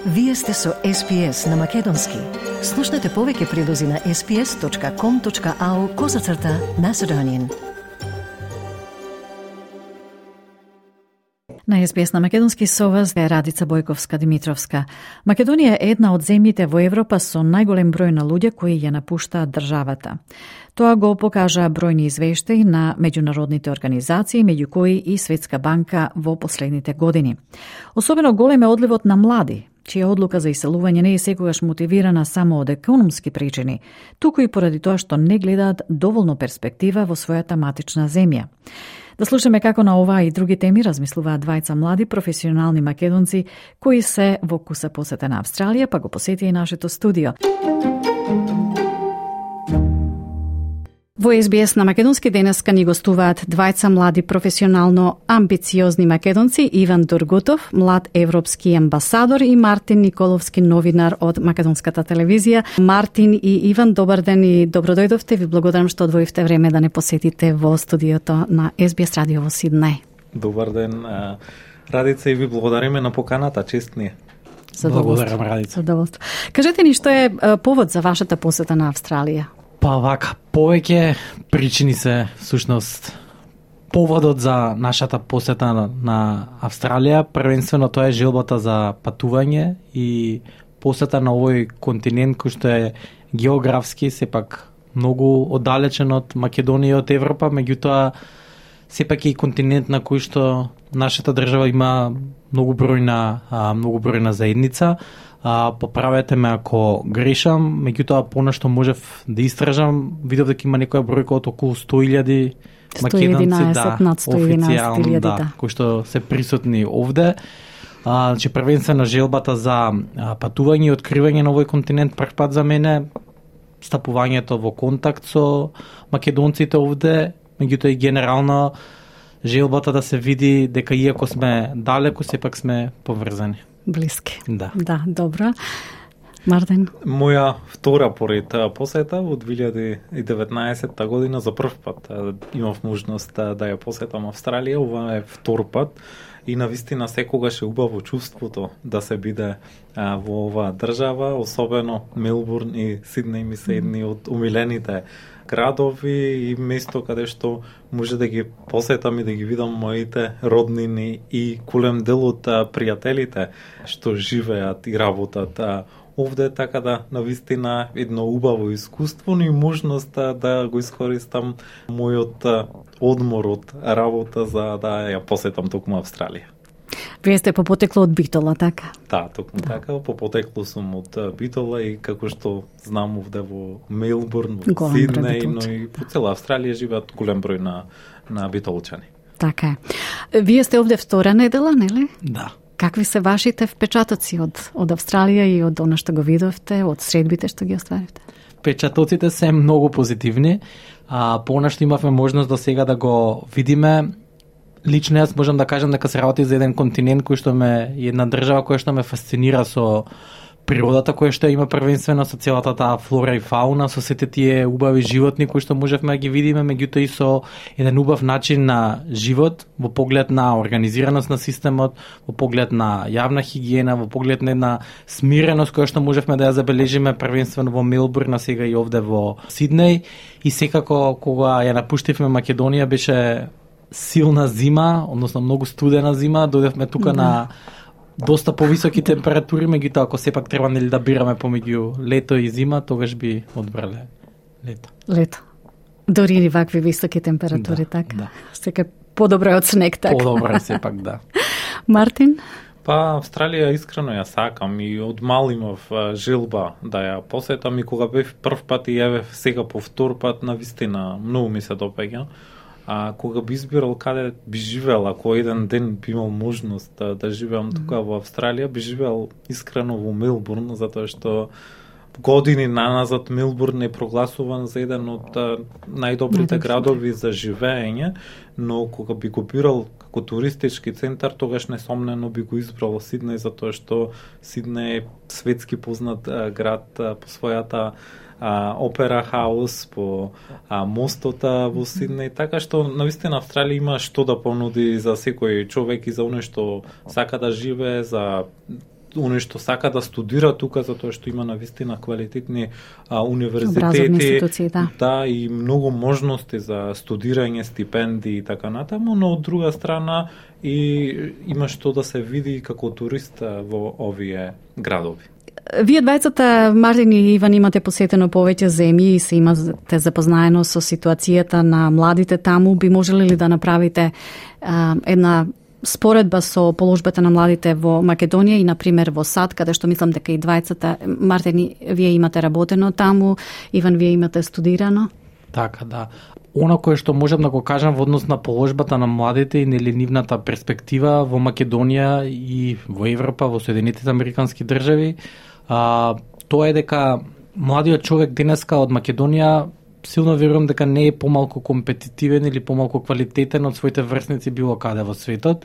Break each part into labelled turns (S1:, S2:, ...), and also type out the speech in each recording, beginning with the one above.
S1: Вие сте со SPS на Македонски. Слушнете повеќе прилози на sps.com.au/Macedonian.
S2: На SBS на Македонски со вас е Радица Бојковска-Димитровска. Македонија е една од земјите во Европа со најголем број на луѓе кои ја напуштаат државата. Тоа го покажа бројни извештаи на меѓународните организации, меѓу кои и Светска банка во последните години. Особено голем е одливот на млади, чија одлука за иселување не е секогаш мотивирана само од економски причини, туку и поради тоа што не гледаат доволно перспектива во својата матична земја. Да слушаме како на оваа и други теми размислуваат двајца млади професионални македонци кои се во куса посета на Австралија, па го посети и нашето студио. Во SBS на Македонски денеска ни гостуваат двајца млади професионално амбициозни македонци, Иван Дургутов, млад европски амбасадор, и Мартин Николовски, новинар од Македонската телевизија. Мартин и Иван, добар ден и добродојдовте. Ви благодарам што одвоивте време да не посетите во студиото на SBS радио во Сиднеј.
S3: Добар ден, Радица, и ви благодариме на поканата, чест ни е.
S2: Благодарам, Радица. Задоволство. Кажете ни што е повод за вашата посета на Австралија?
S4: Па вака, повеќе причини се всушност поводот за нашата посета на Австралија. Првенствено тоа е желбата за патување и посета на овој континент кој што е географски сепак многу оддалечен од Македонија и од Европа, меѓутоа сепак е и континент на кој што нашата држава има многу бројна заедница. Поправете ме ако грешам, меѓутоа понешто можев да истражам, видов дека има некоја бројка од околу 100.000 македонци, официјално, кои што се присутни овде. Значи првенствено желбата за патување и откривање на овој континент прв пат за мене, стапувањето во контакт со македонците овде, меѓутоа и генерално желбата да се види дека иако сме далеку, сепак сме поврзани.
S2: Блиски.
S4: Да,
S2: добро. Мартин?
S3: Моја втора поред посета во 2019 година за прв пат имав можност да ја посетам Австралија. Ова е втор пат и навистина секогаш е убаво чувството да се биде во оваа држава, особено Мелбурн и Сиднеј ми се едни од умилените градови и место каде што може да ги посетам и да ги видам моите роднини и голем дел од пријателите што живеат и работат овде, така да навистина едно убаво искуство, но и можност да го искористам мојот одмор од работа за да ја посетам токму Австралија.
S2: Вие сте по потекло од Битола, така?
S3: Да, токму така, по потекло сум од Битола и како што знам овде во Мелбурн, во Сиднеј, но и по цела Австралија живеат голем број на битолчани.
S2: Така е. Вие сте овде втора недела, нели?
S4: Да.
S2: Какви се вашите впечатоци од Австралија и од она што го видовте, од средбите што ги остваривте?
S4: Впечатоците се многу позитивни. Понешто имавме можност до сега да го видиме. Лично јас можам да кажам дека се работи за еден континент кој што една држава која што ме фасцинира со природата која што има првенствено со целата таа флора и фауна, со сите тие убави животни кои што можевме да ги видиме, меѓутоа и со еден убав начин на живот во поглед на организираност на системот, во поглед на јавна хигиена, во поглед на една смиреност која што можевме да ја забележиме првенствено во Мелбурн, а сега и овде во Сиднеј. И секако кога ја напуштивме Македонија беше силна зима, односно многу студена зима, дојдевме тука на доста повисоки температури, меѓутоа ако сепак треба нели да бираме помеѓу лето и зима, тогаш би одбрале лето.
S2: Лето. Дори и вакви високи температури, така?
S4: Да.
S2: Сека подобро од снег, така?
S4: Подобро сепак, да.
S2: Мартин?
S3: Па, Австралија искрено ја сакам и од мал имав желба да ја посетам и кога бев прв пат и јавев сега по втор пат, навистина многу ми се допаѓа. Кога би избирал каде би живеел, ако еден ден би имал можност да живеам тука во Австралија, би живеел искрено во Мелбурн, затоа што години наназад Мелбурн е прогласуван за еден од најдобрите градови за живеење, но кога би го бирал како туристички центар, тогаш несомнено би го избрал Сиднеј, затоа што Сиднеј е светски познат град по својата опера хаус, по мостота во Сиднеј, така што навистина Австралија има што да понуди за секој човек и за оној што сака да живее, за оние што сака да студира тука, затоа што има навистина квалитетни универзитети, да, и многу можности за студирање, стипендии и така натаму, но од друга страна и има што да се види како турист во овие градови.
S2: Вие двајцата, Мартин и Иван, имате посетено повеќе земји и се имате запознаено со ситуацијата на младите таму. Би можеле ли да направите една споредба со положбата на младите во Македонија и, например, во САД, каде што мислам дека и двајцата, Мартин, вие имате работено таму, Иван, вие имате студирано?
S4: Така, да. Она кое што можам да го кажам во однос на положбата на младите и нивната перспектива во Македонија и во Европа, во Соединетите Американски држави, тоа е дека младиот човек денеска од Македонија силно верувам дека не е помалку компетитивен или помалку квалитетен од своите врсници било каде во светот.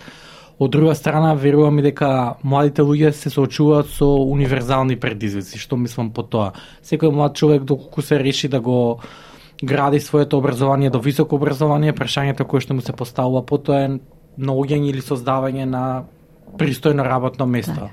S4: Од друга страна, верувам и дека младите луѓе се соочуваат со универзални предизвици. Што мислам по тоа? Секој млад човек, доколку се реши да го гради своето образование до високо образование, прашањето кое што му се поставува потоа е наоѓање или создавање на пристојно работно место.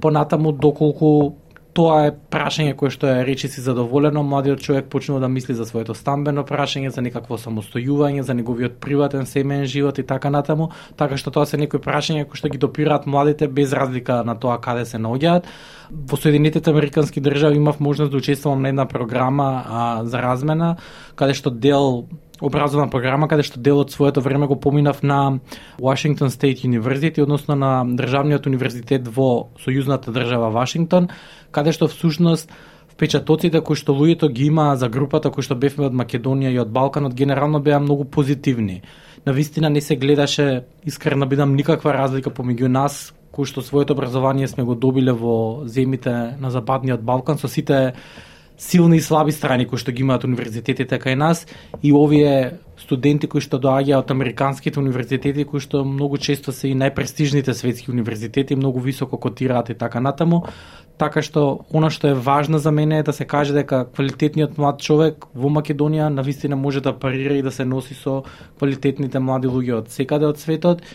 S4: Понатаму, доколку тоа е прашање кое што е речиси задоволено, младиот човек почнува да мисли за своето стамбено прашање, за некакво самостојување, за неговиот приватен семеен живот и така натаму, така што тоа се некои прашања кои што ги допираат младите без разлика на тоа каде се наоѓаат. Во Соединетите Американски држави имав можност да учествувам на една програма за размена, каде што дел образовна програма, каде што дел од своето време го поминав на Washington State University, односно на државниот универзитет во сојузната држава Вашингтон, каде што всушност впечатоците кои што луѓето ги има за групата кои што бевме од Македонија и од Балканот генерално беа многу позитивни. Навистина не се гледаше, искрено бидам, никаква разлика помеѓу нас кои што своето образование сме го добиле во земјите на Западниот Балкан со сите силни и слаби страни кои што ги имаат универзитетите кај нас и овие студенти кои што доаѓаат од американските универзитети кои што многу често се и најпрестижните светски универзитети, многу високо котираат и така натаму. Така што она што е важно за мене е да се каже дека квалитетниот млад човек во Македонија навистина може да парира и да се носи со квалитетните млади луѓе од секаде од светот,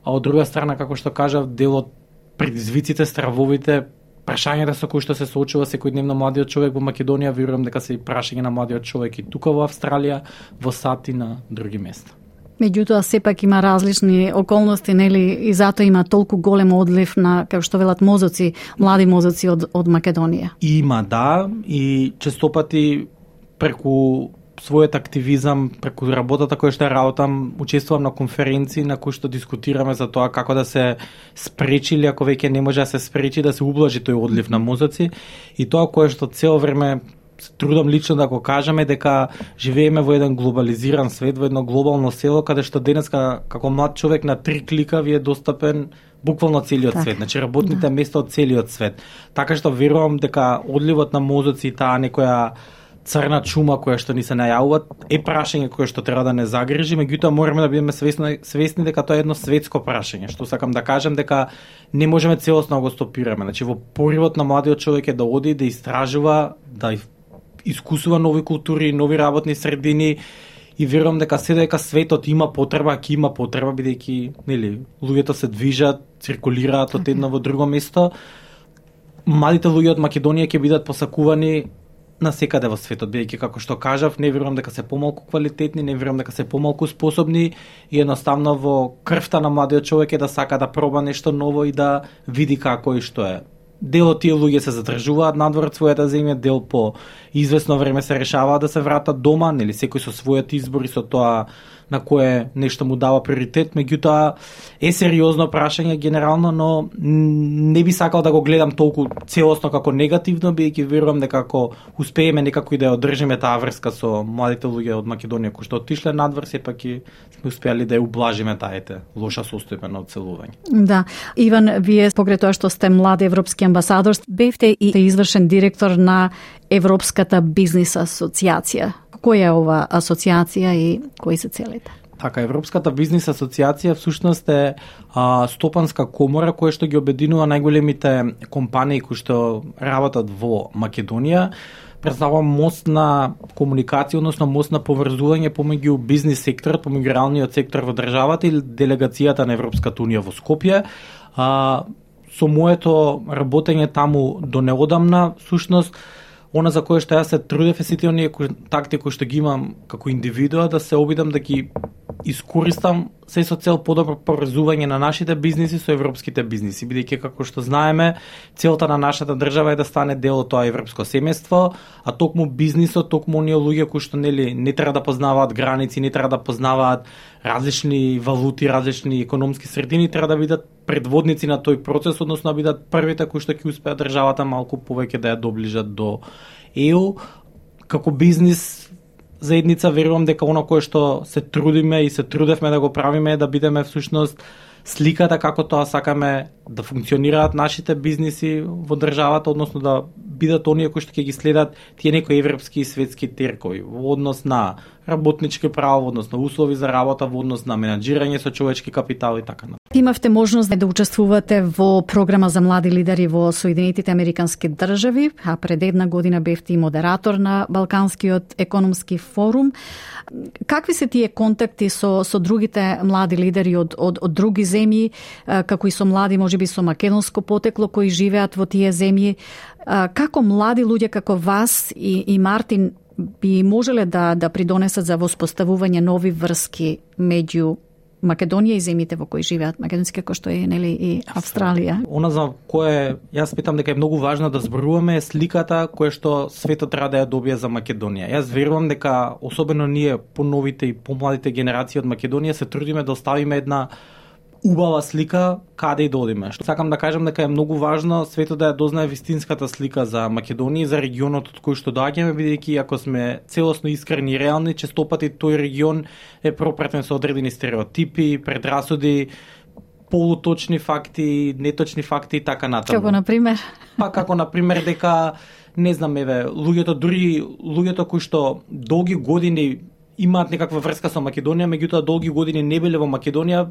S4: а од друга страна, како што кажав, дел од предизвиците, стравовите, прашањата со кои што се соочува секојдневно младиот човек во Македонија, верувам дека се и прашање на младиот човек и тука во Австралија, во САД и на други места.
S2: Меѓутоа, сепак има различни околности, нели, и затоа има толку голем одлив на, како што велат, мозоци, млади мозоци од Македонија.
S4: Има, да, и честопати преку својот активизам, преку работата која што работам, учествувам на конференции на кои што дискутираме за тоа како да се спречи или ако веќе не може да се спречи, да се ублажи тој одлив на мозоци. И тоа кое што цело време се трудам лично да го кажеме дека живееме во еден глобализиран свет, во едно глобално село, каде што денеска како млад човек на 3 клика ви е достапен буквално целиот свет, значи работните места од целиот свет. Така што верувам дека одливот на мозоци и таа некоја црна чума која што ни се најавува е прашање кое што треба да не загрижи, меѓутоа мораме да бидеме свесни дека тоа е едно светско прашање, што сакам да кажам дека не можеме целосно да го стопираме. Значи во поривот на младиот човек е да оди да истражува, да искусува нови култури, нови работни средини и верувам дека дека светот има потреба, ќе има потреба бидејќи, нели, луѓето се движат, циркулираат од едно во друго место. Младите луѓе од Македонија ќе бидат посакувани на секаде во светот, бидејќи како што кажав, не верувам дека се помалку квалитетни, не верувам дека се помалку способни и едноставно во крвта на младиот човек е да сака да проба нешто ново и да види како и што е. Дел од тие луѓе се задржуваат надвор од својата земја, дел по извесно време се решаваат да се вратат дома, нели секој со својот избор и со тоа на кое нешто му дава приоритет, меѓутоа е сериозно прашање генерално, но не би сакал да го гледам толку целосно како негативно, бидејќи верувам дека ако успееме некако и да ја одржиме таа врска со младите луѓе од Македонија кои што отишле надвор, сепак и сме успеали да ја ублажиме таите лоша состојба на одселување.
S2: Да, Иван, вие покрај тоа што сте млад европски амбасадор, бевте и извршен директор на Европската бизнис асоциација. Која е ова асоциација и кои се целите?
S4: Така, Европската бизнис асоциација всушност е стопанска комора која што ги обединува најголемите компании кои што работат во Македонија. Представува мост на комуникација, односно мост на поврзување помеѓу бизнис секторот, помеѓу реалниот сектор во државата и делегацијата на Европската унија во Скопје. со моето работење таму до неодамна, всушност, она за кое што јас се трудев е сите оние контакти кои што ги имам како индивидуа, да се обидам да ги искористам се со цел подобро поврзување на нашите бизниси со европските бизниси, бидејќи како што знаеме, целта на нашата држава е да стане дел од тоа европско семејство, а токму бизнисот, токму оние луѓе кои што не треба да познаваат граници, не треба да познаваат различни валути, различни економски средини, треба да бидат предводници на тој процес, односно да бидат првите кои што ќе успеат државата малку повеќе да ја доближат до ЕУ. Како бизнис заедница верувам дека оно кое што се трудиме и се трудевме да го правиме е да бидеме всушност сликата како тоа сакаме да функционираат нашите бизниси во државата, односно да бидат оние кои што ќе ги следат тие некои европски и светски теркови во однос на работнички права, во однос на услови за работа, во однос на менаџирање со човечки капитал и така натаму.
S2: Имавте можност да учествувате во програма за млади лидери во Соединетите Американски држави, а пред една година бевте и модератор на Балканскиот економски форум. Какви се тие контакти со другите млади лидери од други земји, како и со млади, можеби со македонско потекло, кои живеат во тие земји? Како млади луѓе како вас и Мартин би можеле да придонесат за воспоставување нови врски меѓу Македонија и земјите во кои живеат македонски, како што е и Австралија?
S4: Она за кое јас питам дека е многу важно да зборуваме е сликата која што светот треба да ја добие за Македонија. Јас верувам дека особено ние поновите и помладите генерации од Македонија се трудиме да оставиме една убава слика каде и да одиме. Сакам да кажам дека е многу важно светот да ја дознае вистинската слика за Македонија и за регионот од кој што доаѓаме, бидејќи ако сме целосно искрени и реални, честопати тој регион е пропратен со одредени стереотипи, предрасуди, полуточни факти, неточни факти и така натаму.
S2: Како например?
S4: Како например дека не знам, луѓето кои што долги години имаат некаква врска со Македонија, меѓутоа долги години не биле во Македонија,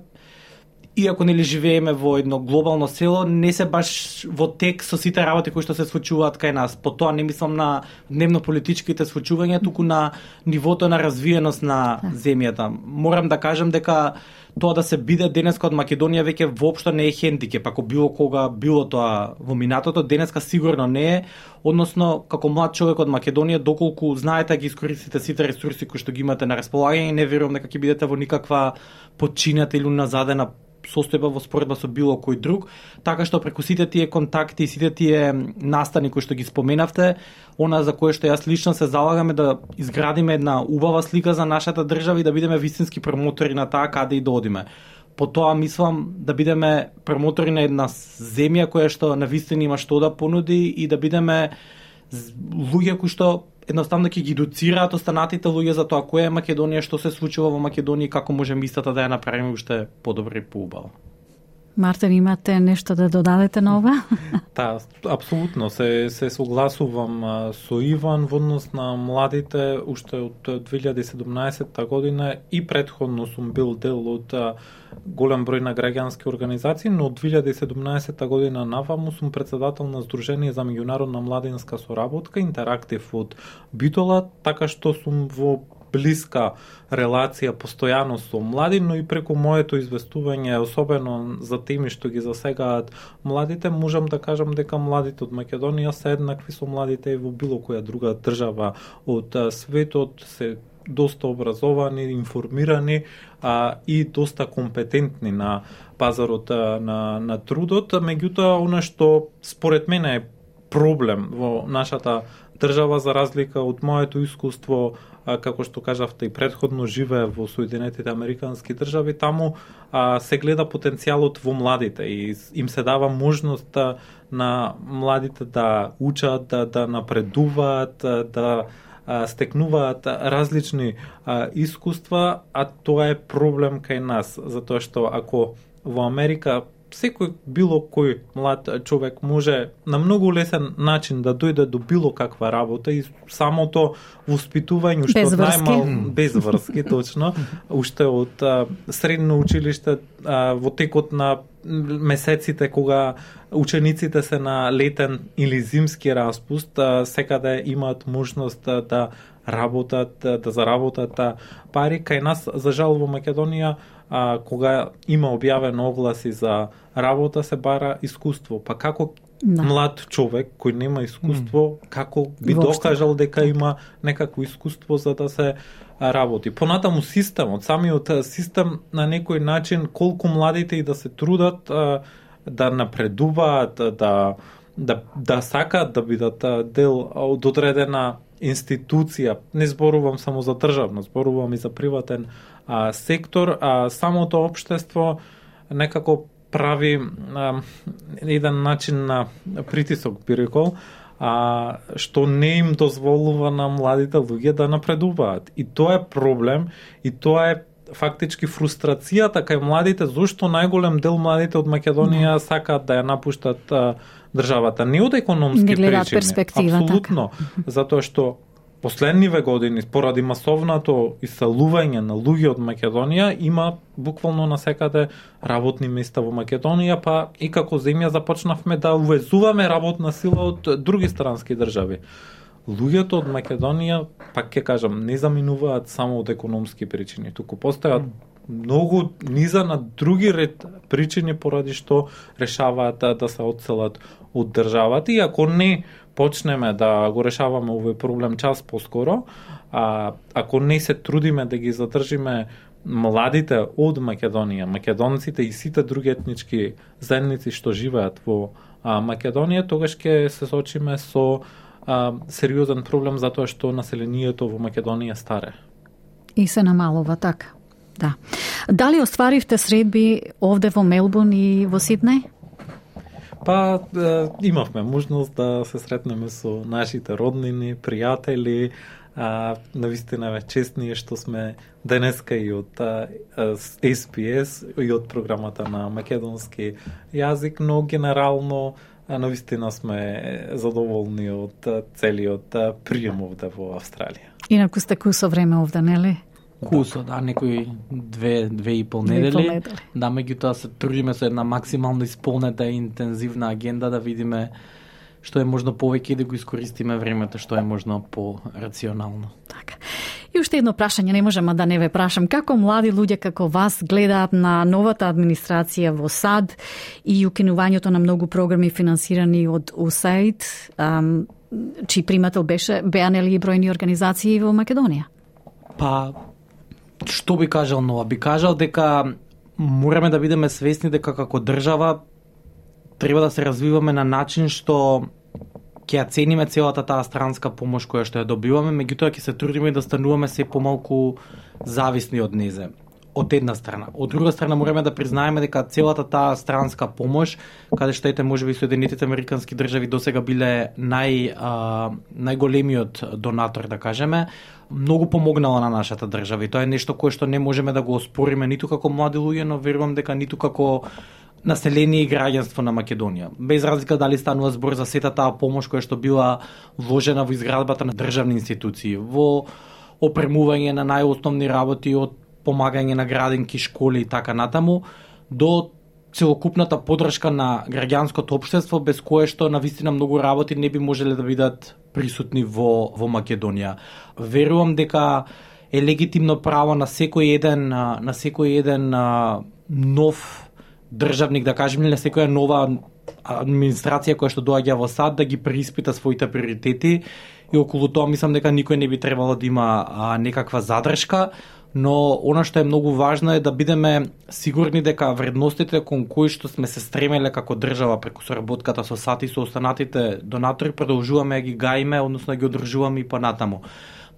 S4: иако нели живееме во едно глобално село, не се баш во тек со сите работи кои што се случуваат кај нас. По тоа не мислам на дневно-политичките случувања, туку на нивото на развиеност на земјата. Морам да кажам дека тоа да се биде денеска од Македонија веќе воопшто не е хендикеп, ако било кога било тоа во минатото, денеска сигурно не е, односно како млад човек од Македонија, доколку знаете ги искористите сите ресурси кои што ги имате на располагање, не верувам дека ќе бидете во никаква подчинета или уназадена состојба во споредба со било кој друг, така што преку сите тие контакти и сите тие настани кои што ги споменавте, она за кое што јас лично се залагаме да изградиме една убава слика за нашата држава и да бидеме вистински промотори на таа каде и да одиме. По тоа мислам да бидеме промотори на една земја која што навистина има што да понуди и да бидеме луѓе кои што едноставно ќе ги едуцираат останатите луѓе за тоа која е Македонија, што се случува во Македонија и како можеме истата да ја направиме уште подобро и поубаво.
S2: Мартин, имате нешто да додадете на ова?
S3: Да, апсолутно се согласувам со Иван во однос на младите уште од 2017 година и претходно сум бил дел од голем број на граѓански организации, но од 2017 година наваму сум председател на Сдружение за меѓународна младинска соработка Интерактив од Битола, така што сум во блиска релација постојано со млади, но и преку моето известување, особено за теми што ги засегаат младите, можам да кажам дека младите од Македонија се еднакви со младите и во било која друга држава од светот, се доста образовани, информирани и доста компетентни на пазарот на трудот. Меѓутоа, она што според мене е проблем во нашата држава, за разлика од моето искуство, како што кажавте и предходно живее во Соединетите Американски држави, таму се гледа потенцијалот во младите и им се дава можност на младите да учат, да напредуваат, да стекнуваат различни искуства, а тоа е проблем кај нас, затоа што ако во Америка секој било кој млад човек може на многу лесен начин да дојде до било каква работа и самото воспитување што најмал без врски, точно, уште од средно училиште во текот на месеците кога учениците се на летен или зимски распуст, секаде имаат можност да работат, да заработат пари. Кај нас, за жал, во Македонија кога има објавено огласи за работа се бара искуство. Па како млад човек кој нема искуство, како би докажал дека има некакво искуство за да се работи. Понатаму системот, самиот систем на некој начин, колку младите и да се трудат да напредуваат, да сакаат да бидат дел од одредена институција. Не зборувам само за државно, зборувам и за приватен сектор. Самото општество некако прави еден начин на притисок, би рекол, што не им дозволува на младите луѓе да напредуваат. И тоа е проблем, и тоа е фактички фрустрацијата кај младите, зашто најголем дел младите од Македонија сакаат да ја напуштат државата. Не од економски причини, апсолутно, затоа што последниве години, поради масовното исселување на луѓе од Македонија, има буквално насекаде работни места во Македонија, па и како земја започнавме да увезуваме работна сила од други странски држави. Луѓето од Македонија, пак ќе кажам, не заминуваат само од економски причини, туку постојат многу низа на други ред причини поради што решаваат да се одселат од државата, и ако не почнеме да го решаваме овој проблем час поскоро, ако не се трудиме да ги задржиме младите од Македонија, македонците и сите други етнички заедници што живеат во Македонија, тогаш ќе се соочиме со сериозен проблем затоа што населението во Македонија старе.
S2: И се намалува, така. Да. Дали остваривте средби овде во Мелбурн и во Сиднеј?
S3: Па имавме можност да се сретнеме со нашите роднини, пријатели. Навистина ве честни што сме денеска и од SPS и од програмата на македонски јазик, но генерално навистина сме задоволни од целиот прием овде во Австралија.
S2: Инаку сте кусо време овде, нели?
S4: Кусо, да, некои 2,5 недели. Да, меѓутоа се трудиме со една максимално исполнета и интензивна агенда да видиме што е можно повеќе и да го искористиме времето што е можно по-рационално.
S2: Така. И уште едно прашање, не можам да не ве прашам. Како млади луѓе како вас гледаат на новата администрација во САД и укинувањето на многу програми финансирани од USAID, чиј примател беа нели и бројни организации во Македонија?
S4: Па, што би кажал нова? Би кажал дека мораме да бидеме свесни дека како држава треба да се развиваме на начин што ќе ја цениме целата таа странска помош која што ја добиваме, меѓутоа ќе се трудиме да стануваме се помалку зависни од незе. Од една страна. Од друга страна мораме да признаеме дека целата таа странска помош, каде што ете можеби Соединетите Американски држави досега биле најголемиот донатор, да кажеме, многу помогнала на нашата држава и тоа е нешто кое што не можеме да го оспориме ниту како млади луѓе, но верувам дека ниту како население и граѓанство на Македонија. Без разлика дали станува збор за сета таа помош која што била вложена во изградбата на државни институции, во опремување на најосновни работи од помагање на градинки, школи и така натаму, до целокупната поддршка на граѓанското општество, без кое што навистина многу работи не би можеле да бидат присутни во Македонија. Верувам дека е легитимно право на секој еден нов државник, да кажеме, на секоја нова администрација која што доаѓа во САД да ги преиспита своите приоритети, и околу тоа мислам дека никој не би требало да има некаква задршка, но она што е многу важно е да бидеме сигурни дека вредностите кон кои што сме се стремеле како држава преку соработката со САД и со останатите донатори продолжуваме да ги гаиме, односно да ги одржуваме и понатаму.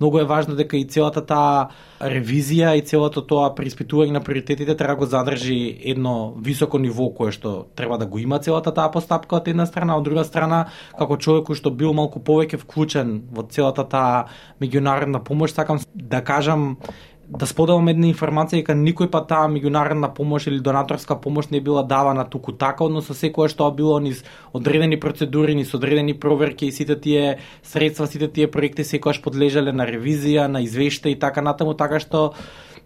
S4: Многу е важно дека и целата таа ревизија и целото тоа преиспитување на приоритетите треба го задржи едно високо ниво кое што треба да го има целата таа постапка од една страна, од друга страна како човек кој што бил малку повеќе вклучен во целата таа меѓународна помош, сакам да кажам, да споделам една информација дека никој па таа меѓународна помош или донаторска помош не била давана туку така, односно секоја што било низ одредени процедури, низ одредени проверки и сите тие средства, сите тие проекти секогаш подлежале на ревизија, на извештај и така натаму, така што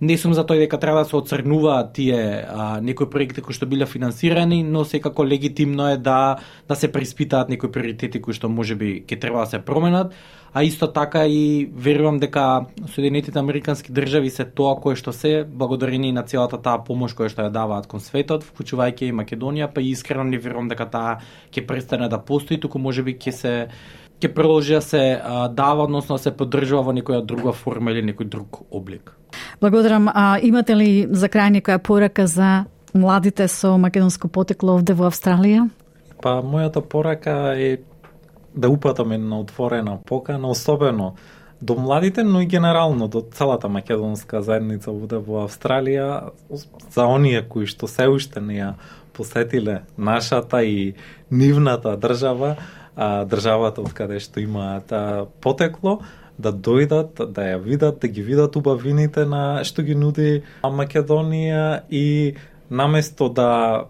S4: Не сум за тој дека треба да се оцрнуваат тие некои проекти кои што биле финансирани, но секако легитимно е да се преиспитаат некои приоритети кои што можеби ќе треба да се променат, а исто така и верувам дека Соединетите Американски држави се тоа кое што се, благодарение на целата таа помош која што ја даваат кон светот, вклучувајќи и Македонија, па и искрено не верувам дека таа ќе престане да постои, туку можеби ќе продолжи да се дава, односно да се поддржува во некоја друга форма или некој друг облик.
S2: Благодарам. Имате ли за крај некоја порака за младите со македонско потекло овде во Австралија?
S3: Па мојата порака е да упатаме на отворена покана, особено до младите, но и генерално до целата македонска заедница овде во Австралија, за оние кои што се уште не ја посетиле нашата и нивната држава, државата од каде што имаат потекло, да дојдат, да ја видат, да ги видат убавините на што ги нуди Македонија и наместо да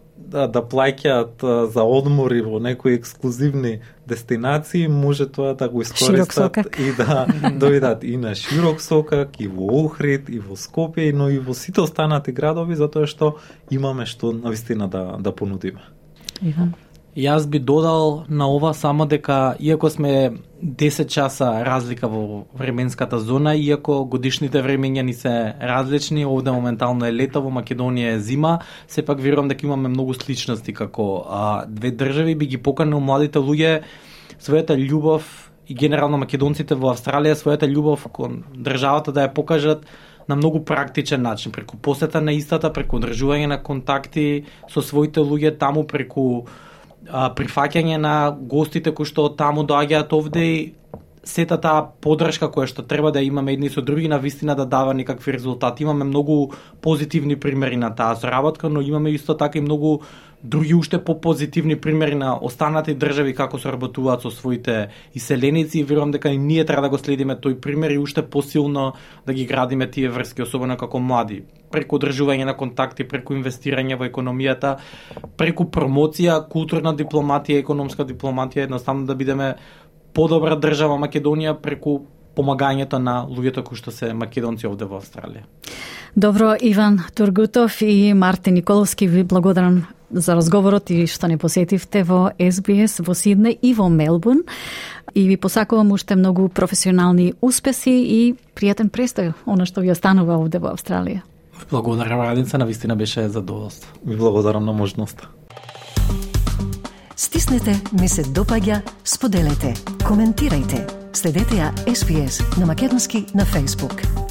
S3: плаќаат за одмори во некои ексклузивни дестинации, може тоа да го искористат и да дојдат и на Широк Сокак, и во Охрид, и во Скопје, но и во сите останати градови, затоа што имаме што навистина да понудиме.
S2: Иван?
S4: Јас би додал на ова само дека, иако сме 10 часа разлика во временската зона, иако годишните времења ни се различни, овде моментално е лето, во Македонија е зима, сепак верувам дека имаме многу сличности како две држави. Би ги поканил младите луѓе својата љубов и генерално македонците во Австралија својата љубов кон државата да ја покажат на многу практичен начин, преку посета на истата, преку одржување на контакти со своите луѓе таму, преку прифаќање на гостите кои што таму доаѓаат овде и сета таа поддршка која што треба да имаме едни со други, на вистина да дава некакви резултати. Имаме многу позитивни примери на таа соработка, но имаме исто така и многу други уште попозитивни примери на останати држави како соработуваат со своите иселеници и верувам дека и ние треба да го следиме тој пример и уште посилно да ги градиме тие врски, особено како млади, преку одржување на контакти, преку инвестирање во економијата, преку промоција, културна дипломатија, економска дипломатија, едноставно да бидеме подобра држава Македонија преку помагањето на луѓето кои што се македонци овде во Австралија.
S2: Добро, Иван Тургутов и Мартин Николовски, ви благодарам за разговорот и што не посетивте во SBS во Сиднеј и во Мелбурн. И ви посакувам уште многу професионални успеси и пријатен престој, она што ви останува овде во Австралија.
S4: Благодарам, Радица, навистина беше задоволство.
S3: Ви благодарам на можноста.
S1: Стиснете, ми се допаѓа, споделете, коментирајте. Следете ја SBS на македонски на Facebook.